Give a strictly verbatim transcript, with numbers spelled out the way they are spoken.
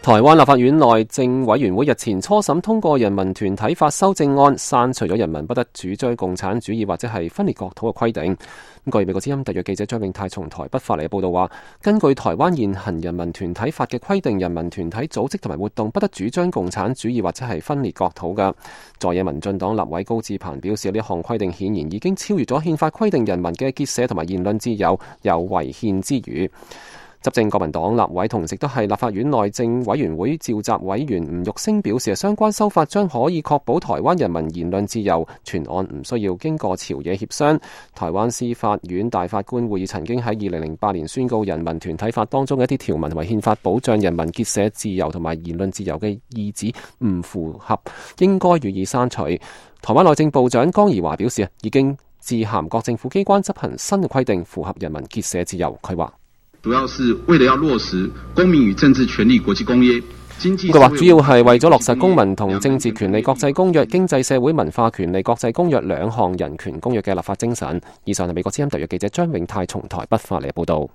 台灣立法院內政委員會日前初審通過人民團體法修正案，刪除咗人民不得主張共產主義或者係分裂國土嘅規定。咁據美國之音特約記者張永泰從台北發嚟嘅報道話，根據台灣現行人民團體法嘅規定，人民團體組織同埋活動不得主張共產主義或者係分裂國土嘅。在野民進黨立委高志鵬表示，呢項規定顯然已經超越咗憲法規定人民嘅結社同埋言論自由，有違憲之虞。執政國民黨立委同時都係立法院內政委員會召集委員吳玉星表示，相關修法將可以確保台灣人民言論自由，全案唔需要經過朝野協商。台灣司法院大法官會議曾經喺二零零八年宣告人民團體法當中嘅一啲條文同埋憲法保障人民結社自由同埋言論自由嘅意旨唔符合，應該予以刪除。台灣內政部長江宜樺表示，已經致函各政府機關執行新嘅規定，符合人民結社自由。佢話主要是為了要落實公民與政治權利國際公約。佢話主要係為咗落實公民同政治權利國際公約、經濟社會文化權利國際公約兩項人權公約嘅立法精神。以上係美國之音特約記者張永泰從台北發嚟嘅報道。